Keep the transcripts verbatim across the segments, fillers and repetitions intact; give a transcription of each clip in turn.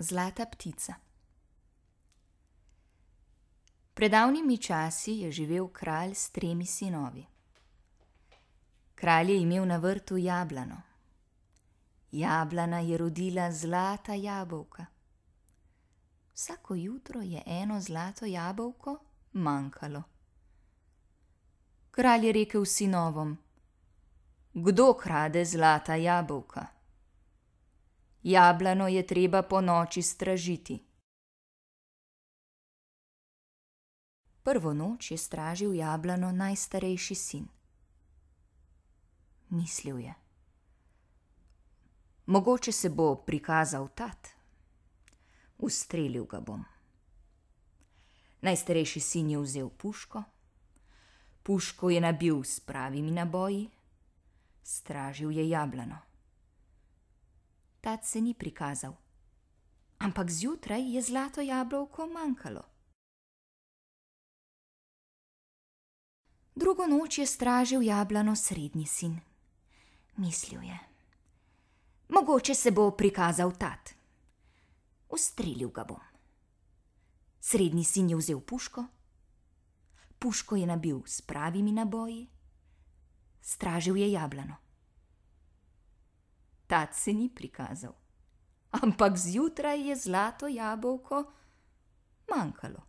Zlata ptica. Pred davnimi časi je živel kralj s tremi sinovi. Kralj je imel na vrtu jablano. Jablana je rodila zlata jabolka. Vsako jutro je eno zlato jabolko manjkalo. Kralj je rekel sinovom: Kdo krade zlata jabolka? Jablano je treba ponoči stražiti. Prvo noč je stražil jablano najstarejši sin. Mislil je: Mogoče se bo prikazal tat. Ustrelil ga bom. Najstarejši sin je vzel puško. Puško je nabil s pravimi naboji. Stražil je jablano. Tat se ni prikazal, ampak zjutraj je zlato jabolko manjkalo. Drugo noč je stražil jablano srednji sin. Mislil je: Mogoče se bo prikazal tat. Ustrelil ga bom. Srednji sin je vzel puško. Puško je nabil s pravimi naboji. Stražil je jablano. Tat se ni prikazal, ampak zjutraj je zlato jabolko manjkalo.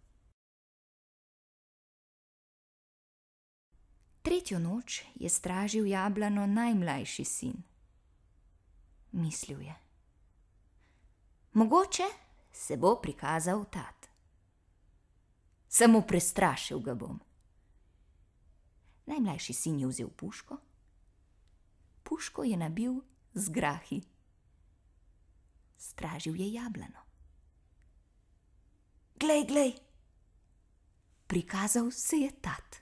Tretjo noč je stražil jablano najmlajši sin. Mislil je: Mogoče se bo prikazal tat. Samo prestrašil ga bom. Najmlajši sin je vzel puško. Puško je nabil z grahi. Stražil je jablano. Glej, glej! Prikazal se je tat.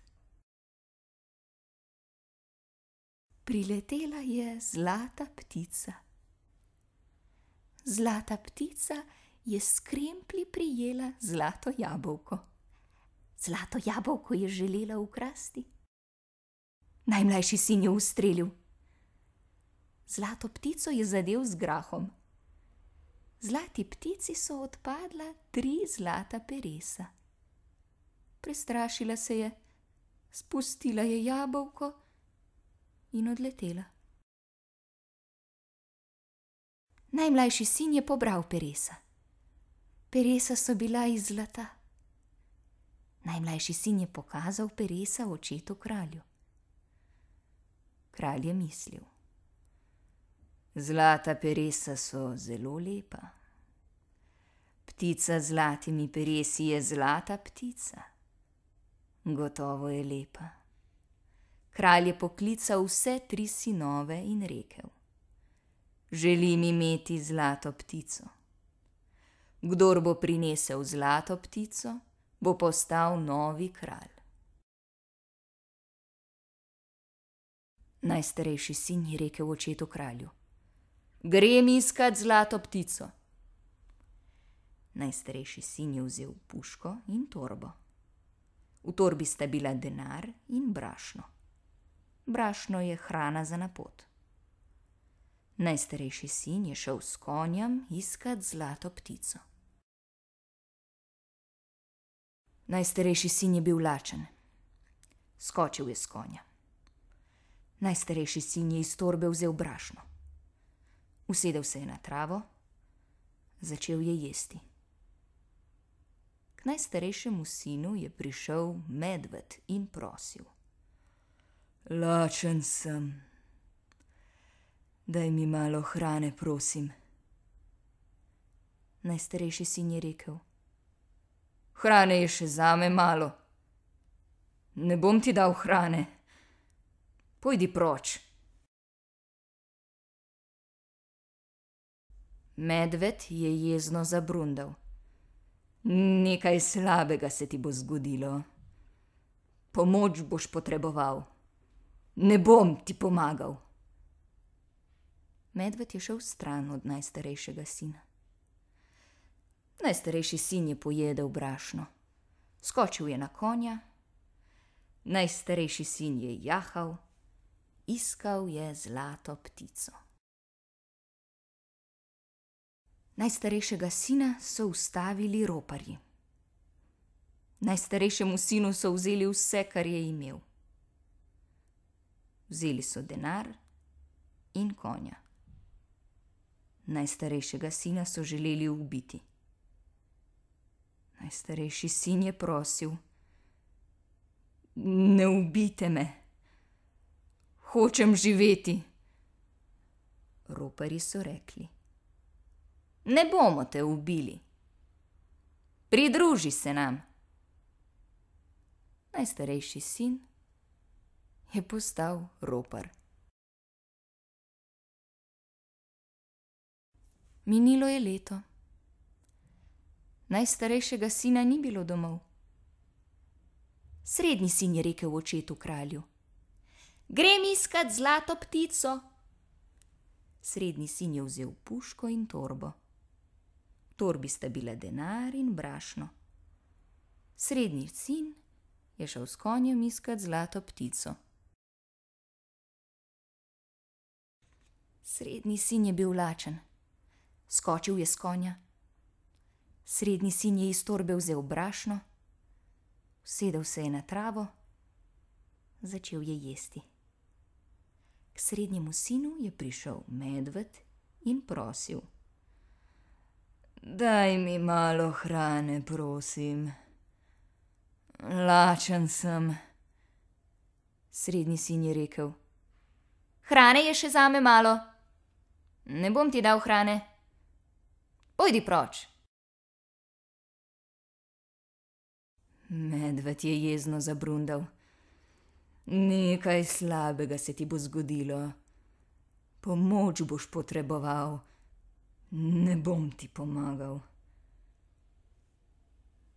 Priletela je zlata ptica. Zlata ptica je s kremplji prijela zlato jabolko. Zlato jabolko je želela ukrasti. Najmlajši sin je ustrelil. Zlato ptico je zadel z grahom. Zlati ptici so odpadla tri zlata peresa. Prestrašila se je, spustila je jabolko in odletela. Najmlajši sin je pobral peresa. Peresa so bila iz zlata. Najmlajši sin je pokazal peresa očetu kralju. Kralj je mislil: Zlata peresa so zelo lepa. Ptica z zlatimi peresi je zlata ptica. Gotovo je lepa. Kralj je poklical vse tri sinove in rekel: Želim imeti zlato ptico. Kdor bo prinesel zlato ptico, bo postal novi kralj. Najstarejši sin je rekel očetu kralju: Grem iskat zlato ptico. Najstarejši sin je vzel puško in torbo. V torbi sta bila denar in brašno. Brašno je hrana za na pot. Najstarejši sin je šel s konjem iskat zlato ptico. Najstarejši sin je bil lačen. Skočil je s konja. Najstarejši sin je iz torbe vzel brašno. Usedel se je na travo, začel je jesti. K najstarejšemu sinu je prišel medved in prosil: Lačen sem. Daj mi malo hrane, prosim. Najstarejši sin je rekel: Hrane je še zame malo. Ne bom ti dal hrane. Pojdi proč. Medved je jezno zabrundal: Nekaj slabega se ti bo zgodilo. Pomoč boš potreboval. Ne bom ti pomagal. Medved je šel stran od najstarejšega sina. Najstarejši sin je pojedel brašno. Skočil je na konja. Najstarejši sin je jahal. Iskal je zlato ptico. Najstarejšega sina so ustavili roparji. Najstarejšemu sinu so vzeli vse, kar je imel. Vzeli so denar in konja. Najstarejšega sina so želeli ubiti. Najstarejši sin je prosil: ne ubijte me, hočem živeti. Roparji so rekli: ne bomo te ubili, pridruži se nam. Najstarejši sin je postal ropar. Minilo je leto. Najstarejšega sina ni bilo domov. Srednji sin je rekel očetu kralju: grem iskat zlato ptico. Srednji sin je vzel puško in torbo. V torbi sta bila denar in brašno. Srednji sin je šel s konjem iskat zlato ptico. Srednji sin je bil lačen. Skočil je s konja. Srednji sin je iz torbe vzel brašno, usedel se je na travo, začel je jesti. K srednjemu sinu je prišel medved in prosil: daj mi malo hrane, prosim. Lačen sem. Srednji sin je rekel: hrane je še zame malo. Ne bom ti dal hrane. Pojdi proč. Medved je jezno zabrundal: nekaj slabega se ti bo zgodilo. Pomoč boš potreboval. Ne bom ti pomagal.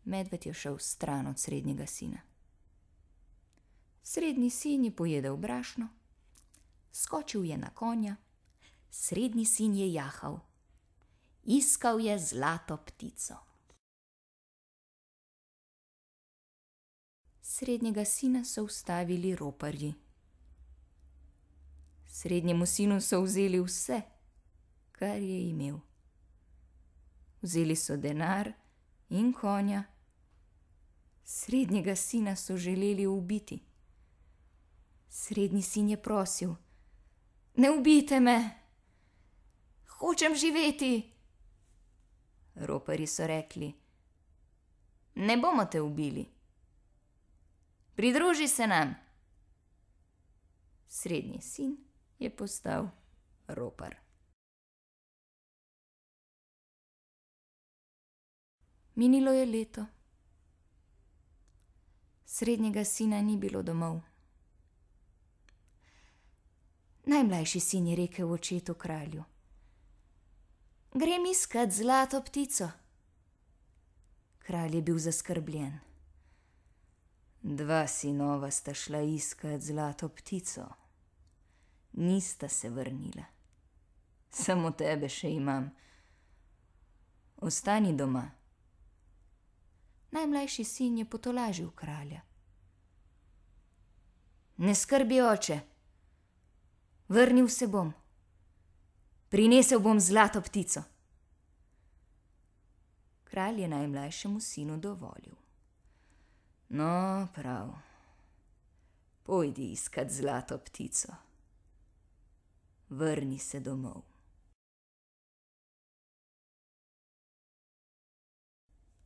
Medved je šel stran od srednjega sina. Srednji sin je pojedel brašno, skočil je na konja, srednji sin je jahal. Iskal je zlato ptico. Srednjega sina so ustavili roparji. Srednjemu sinu so vzeli vse, kar je imel. Vzeli so denar in konja. Srednjega sina so želeli ubiti. Srednji sin je prosil: ne ubijte me, hočem živeti. Roparji so rekli: ne bomo te ubili, pridruži se nam. Srednji sin je postal ropar. Minilo je leto. Srednjega sina ni bilo domov. Najmlajši sin je rekel očetu kralju: grem iskat zlato ptico. Kralj je bil zaskrbljen. Dva sinova sta šla iskat zlato ptico. Nista se vrnila. Samo tebe še imam. Ostani doma. Najmlajši sin je potolažil kralja. Ne skrbi, oče, vrnil se bom. Prinesel bom zlato ptico. Kralj je najmlajšemu sinu dovolil. No, prav, pojdi iskat zlato ptico. Vrni se domov.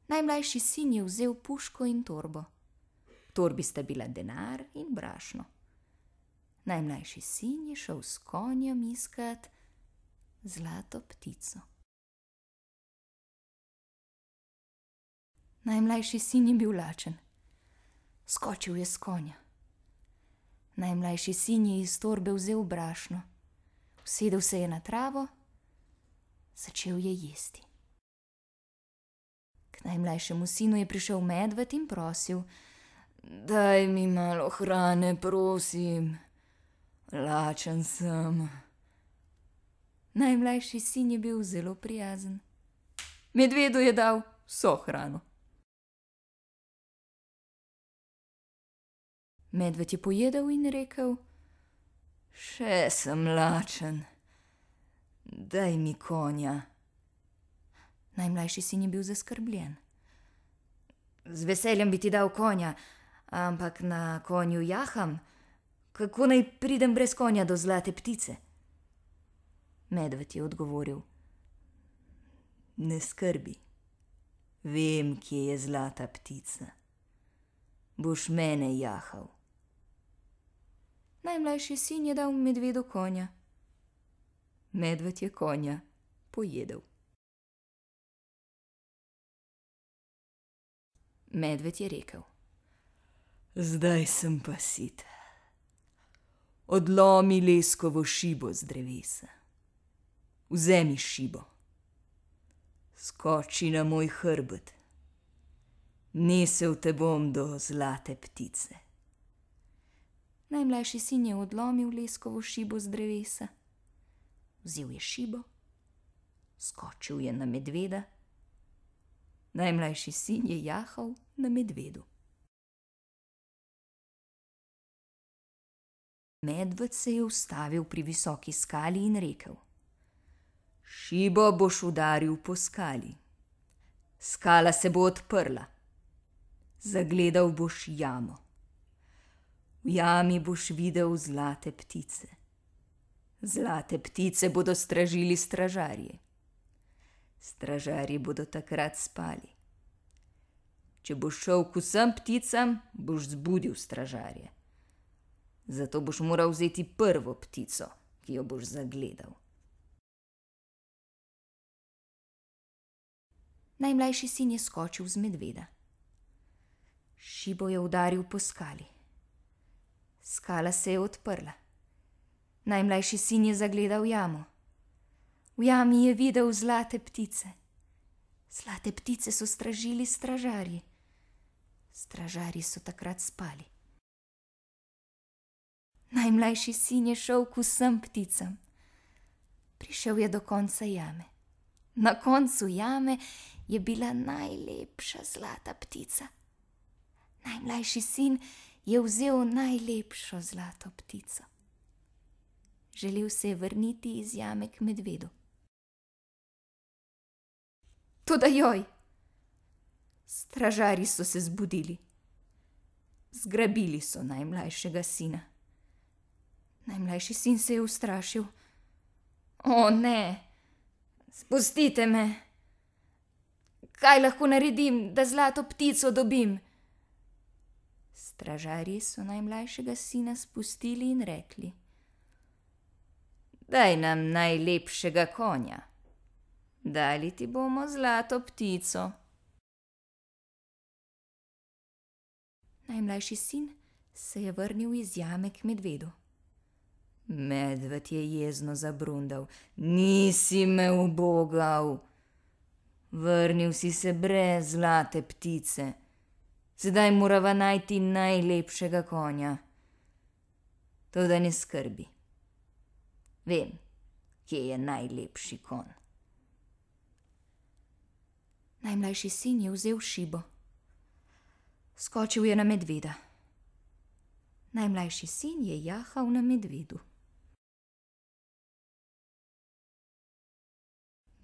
Najmlajši sin je vzel puško in torbo. V torbi sta bila denar in brašno. Najmlajši sin je šel s konjem iskat zlato ptico. Najmlajši sin je bil lačen. Skočil je s konja. Najmlajši sin je iz torbe vzel brašno, usedel se je na travo, začel je jesti. K najmlajšemu sinu je prišel medved in prosil: daj mi malo hrane, prosim. Lačen sem. Najmlajši sin je bil zelo prijazen. Medvedu je dal vso hrano. Medved je pojedel in rekel: še sem lačen, daj mi konja. Najmlajši sin je bil zaskrbljen. Z veseljem bi ti dal konja, ampak na konju jaham. Kako naj pridem brez konja do Zlate ptice? Medved je odgovoril: Ne skrbi, vem, kje je Zlata ptica. Boš mene jahal. Najmlajši sin je dal medvedu konja. Medved je konja pojedel. Medved je rekel: Zdaj sem pa sit. Odlomi leskovo šibo z drevesa. Vzemi šibo. Skoči na moj hrbet. Nesel te bom do Zlate ptice. Najmlajši sin je odlomil leskovo šibo z drevesa. Vzel je šibo, skočil je na medveda. Najmlajši sin je jahal na medvedu. Medved se je ustavil pri visoki skali in rekel: Šibo boš udaril po skali. Skala se bo odprla. Zagledal boš jamo. V jami boš videl zlate ptice. Zlate ptice bodo stražili stražarji. Stražarji bodo takrat spali. Če boš šel k vsem pticam, boš zbudil stražarje. Zato boš moral vzeti prvo ptico, ki jo boš zagledal. Najmlajši sin je skočil z medveda. Šibo je udaril po skali. Skala se je odprla. Najmlajši sin je zagledal jamo. V jami je videl zlate ptice. Zlate ptice so stražili stražarji. Stražarji so takrat spali. Najmlajši sin je šel k vsem pticam. Prišel je do konca jame. Na koncu jame je bila najlepša zlata ptica. Najmlajši sin je vzel najlepšo zlato ptico. Želel se je vrniti iz jame k medvedu. Toda joj! Stražarji so se zbudili. Zgrabili so najmlajšega sina. Najmlajši sin se je ustrašil. O ne, spustite me! Kaj lahko naredim, da zlato ptico dobim? Stražarji so najmlajšega sina spustili in rekli: Daj nam najlepšega konja. Dali ti bomo zlato ptico. Najmlajši sin se je vrnil iz jame k medvedu. Medved je jezno zabrundal: Nisi me ubogal. Vrnil si se brez zlate ptice. Sedaj morava najti najlepšega konja. Toda ne skrbi. Vem, kje je najlepši konj. Najmlajši sin je vzel šibo. Skočil je na medveda. Najmlajši sin je jahal na medvedu.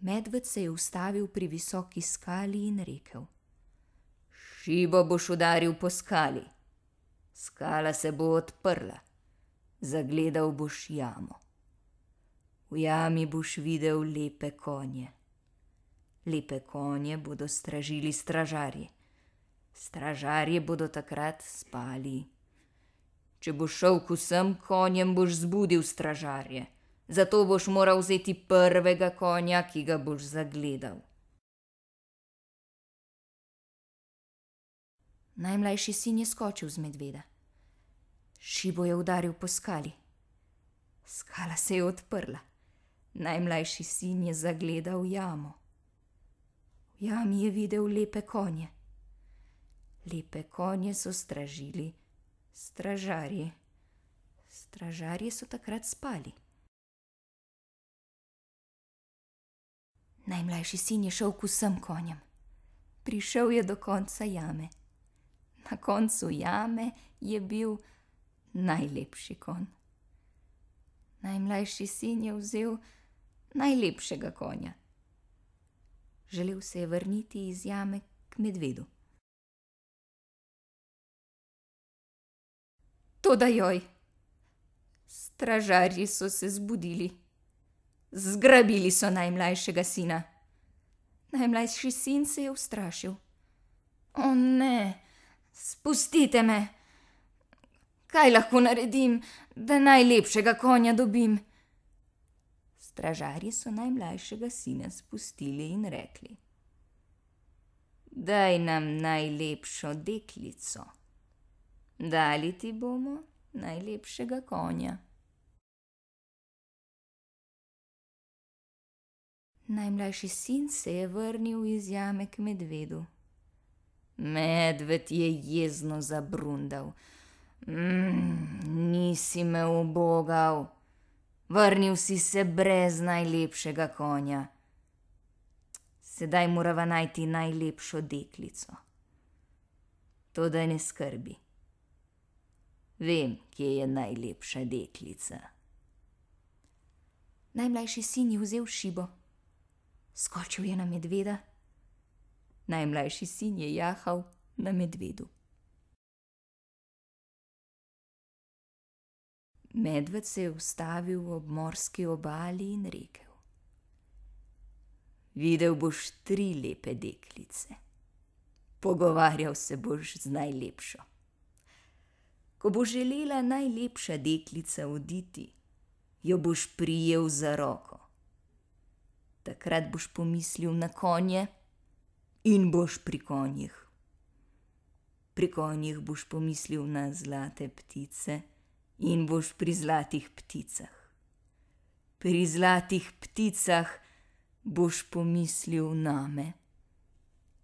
Medved se je ustavil pri visoki skali in rekel: Šibo boš udaril po skali. Skala se bo odprla. Zagledal boš jamo. V jami boš videl lepe konje. Lepe konje bodo stražili stražarji. Stražarji bodo takrat spali. Če boš šel k vsem konjem, boš zbudil stražarje. Zato boš moral vzeti prvega konja, ki ga boš zagledal. Najmlajši sin je skočil z medveda. Šibo je udaril po skali. Skala se je odprla. Najmlajši sin je zagledal jamo. V jami je videl lepe konje. Lepe konje so stražili stražarji. Stražarji so takrat spali. Najmlajši sin je šel k vsem konjem. Prišel je do konca jame. Na koncu jame je bil najlepši konj. Najmlajši sin je vzel najlepšega konja. Želel se je vrniti iz jame k medvedu. Toda joj! Stražarji so se zbudili. Zgrabili so najmlajšega sina. Najmlajši sin se je ustrašil. O ne, spustite me! Kaj lahko naredim, da najlepšega konja dobim? Stražarji so najmlajšega sina spustili in rekli: Daj nam najlepšo deklico. Dali ti bomo najlepšega konja. Najmlajši sin se je vrnil iz jame k medvedu. Medved je jezno zabrundal. Mm, nisi me ubogal. Vrnil si se brez najlepšega konja. Sedaj morava najti najlepšo deklico. Toda ne skrbi. Vem, kje je najlepša deklica. Najmlajši sin je vzel šibo. Skočil je na medveda. Najmlajši sin je jahal na medvedu. Medved se je ustavil ob morski obali in rekel: Videl boš tri lepe deklice. Pogovarjal se boš z najlepšo. Ko bo želela najlepša deklica oditi, jo boš prijel za roko. Takrat boš pomislil na konje in boš pri konjih. Pri konjih boš pomislil na zlate ptice in boš pri zlatih pticah. Pri zlatih pticah boš pomislil name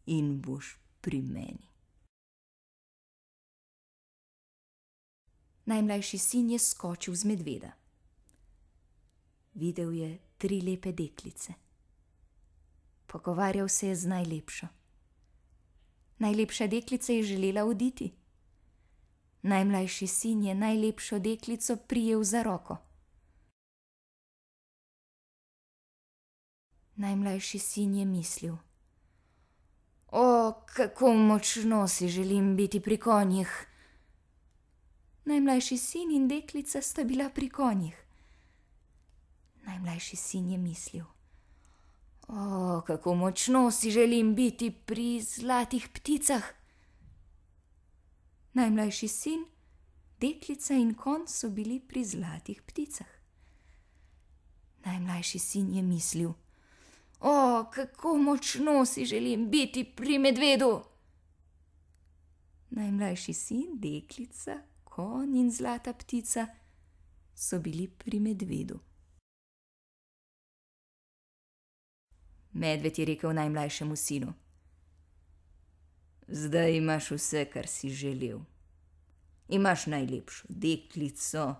in boš pri meni. Najmlajši sin je skočil z medveda. Videl je tri lepe deklice. Pogovarjal se je z najlepšo. Najlepša deklica je želela oditi. Najmlajši sin je najlepšo deklico prijel za roko. Najmlajši sin je mislil: O, kako močno si želim biti pri konjih. Najmlajši sin in deklica sta bila pri konjih. Najmlajši sin je mislil: O, kako močno si želim biti pri zlatih pticah. Najmlajši sin, deklica in konj so bili pri zlatih pticah. Najmlajši sin je mislil: O, kako močno si želim biti pri medvedu. Najmlajši sin, deklica, konj in zlata ptica so bili pri medvedu. Medved je rekel najmlajšemu sinu: Zdaj imaš vse, kar si želel. Imaš najlepšo deklico,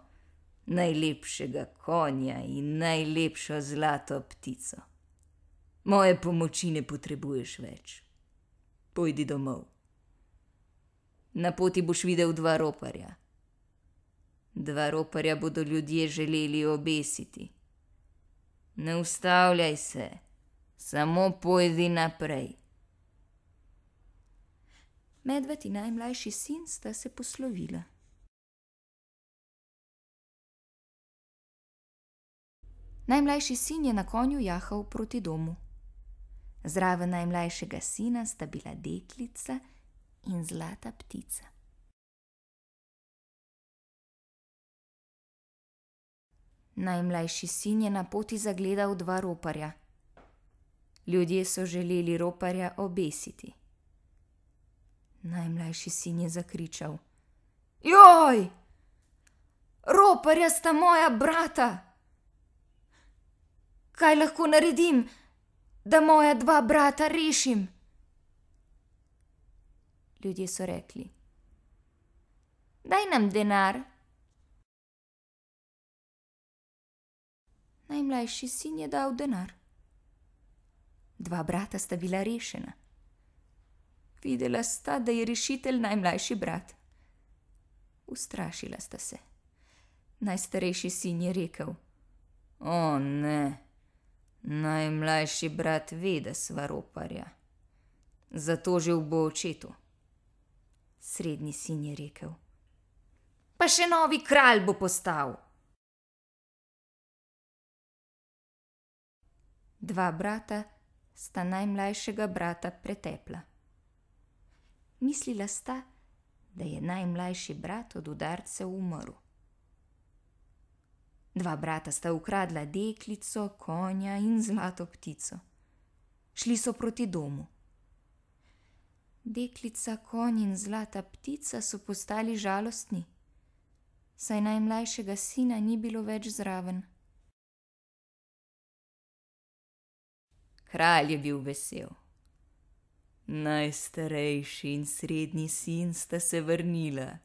najlepšega konja in najlepšo zlato ptico. Moje pomoči ne potrebuješ več. Pojdi domov. Na poti boš videl dva roparja. Dva roparja bodo ljudje želeli obesiti. Ne ustavljaj se. Samo pojdi naprej. Medved in najmlajši sin sta se poslovila. Najmlajši sin je na konju jahal proti domu. Zraven najmlajšega sina sta bila deklica in zlata ptica. Najmlajši sin je na poti zagledal dva roparja. Ljudje so želeli roparja obesiti. Najmlajši sin je zakričal: Joj! Roparja sta moja brata! Kaj lahko naredim, da moja dva brata rešim? Ljudje so rekli: Daj nam denar. Najmlajši sin je dal denar. Dva brata sta bila rešena. Videla sta, da je rešitelj najmlajši brat. Ustrašila sta se. Najstarejši sin je rekel: O ne, Najmlajši brat ve, da sva roparja. Zato že bo očetu. Srednji sin je rekel. Pa še novi kralj bo postal. Dva brata sta najmlajšega brata pretepla. Mislila sta, da je najmlajši brat od udarcev umrl. Dva brata sta ukradla deklico, konja in zlato ptico. Šli so proti domu. Deklica, konj in zlata ptica so postali žalostni, saj najmlajšega sina ni bilo več zraven. Kralj je bil vesel. Najstarejši in srednji sin sta se vrnila,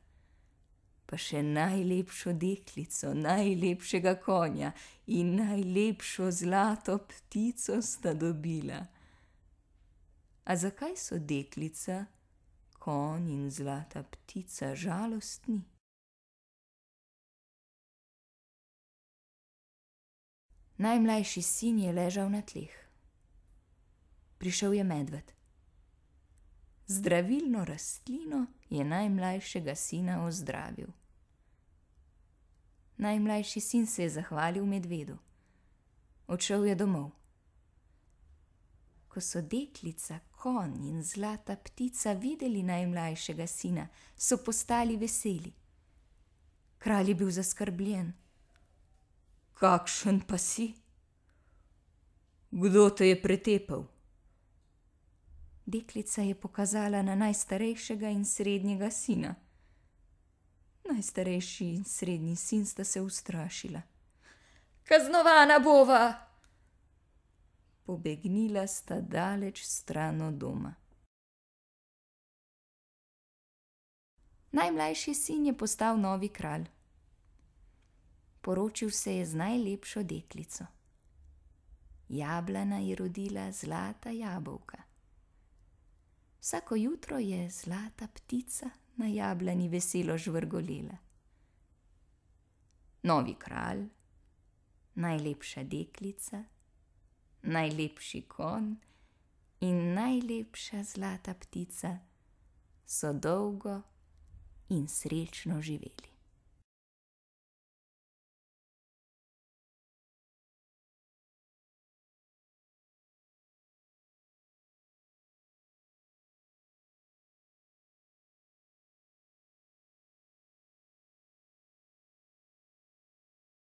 pa še najlepšo deklico, najlepšega konja in najlepšo zlato ptico sta dobila. A zakaj so deklica, konj in zlata ptica žalostni? Najmlajši sin je ležal na tleh. Prišel je medved. Zdravilno rastlino je najmlajšega sina ozdravil. Najmlajši sin se je zahvalil medvedu. Odšel je domov. Ko so deklica, konj in zlata ptica videli najmlajšega sina, so postali veseli. Kralj je bil zaskrbljen. Kakšen pa si? Kdo te je pretepal? Deklica je pokazala na najstarejšega in srednjega sina. Najstarejši in srednji sin sta se ustrašila. Kaznovana bova! Pobegnila sta daleč stran od doma. Najmlajši sin je postal novi kralj. Poročil se je z najlepšo deklico. Jablana je rodila zlata jabolka. Vsako jutro je zlata ptica na jablani veselo žvrgolela. Novi kralj, najlepša deklica, najlepši konj in najlepša zlata ptica so dolgo in srečno živeli.